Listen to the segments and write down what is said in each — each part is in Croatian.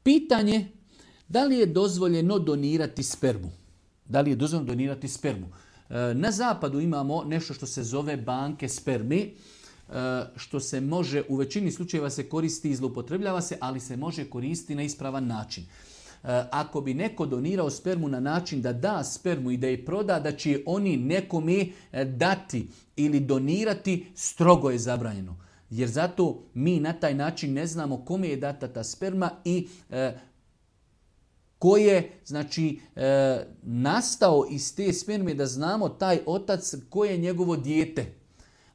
Pitanje, da li je dozvoljeno donirati spermu? Da li je dozvoljeno donirati spermu? Na zapadu imamo nešto što se zove banke spermi, što se može, u većini slučajeva se koristi i zloupotrebljava se, ali se može koristiti na ispravan način. Ako bi neko donirao spermu na način da da spermu i da je proda, da će oni nekome dati ili donirati, strogo je zabranjeno. Jer zato mi na taj način ne znamo kome je data ta sperma i ko je nastao iz te sperme, da znamo taj otac ko je njegovo dijete.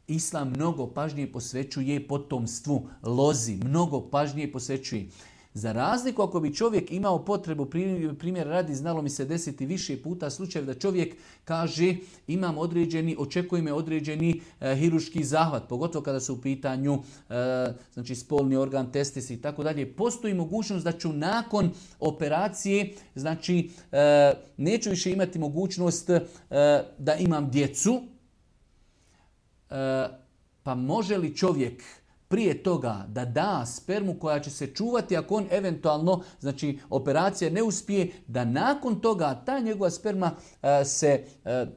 Islam mnogo pažnje posvećuje potomstvu, lozi, mnogo pažnje posvećuje. Za razliku ako bi čovjek imao potrebu, primjer radi, znalo mi se desiti više puta slučaj da čovjek kaže očekuje me određeni hirurški zahvat, pogotovo kada su u pitanju spolni organ, testis i tako dalje. Postoji mogućnost da ću nakon operacije, neću više imati mogućnost da imam djecu, pa može li čovjek prije toga da da spermu koja će se čuvati ako on eventualno, operacija ne uspije, da nakon toga ta njegova sperma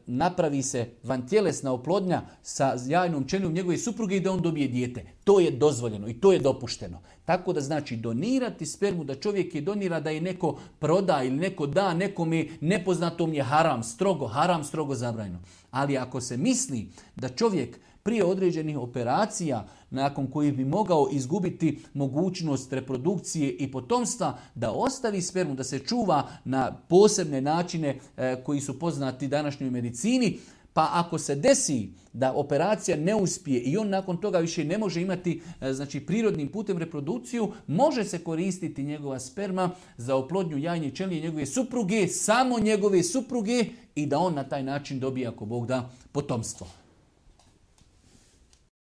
napravi se vantjelesna oplodnja sa jajnom ćelijom njegove supruge i da on dobije dijete. To je dozvoljeno i to je dopušteno. Tako da donirati spermu, da čovjek je donira, da je neko proda ili neko da nekome nepoznatom, je haram, strogo zabranjeno. Ali ako se misli da čovjek prije određenih operacija, nakon kojih bi mogao izgubiti mogućnost reprodukcije i potomstva, da ostavi spermu, da se čuva na posebne načine koji su poznati današnjoj medicini, pa ako se desi da operacija ne uspije i on nakon toga više ne može imati prirodnim putem reprodukciju, može se koristiti njegova sperma za oplodnju jajne ćelije njegove supruge, samo njegove supruge, i da on na taj način dobije, ako Bog da, potomstvo.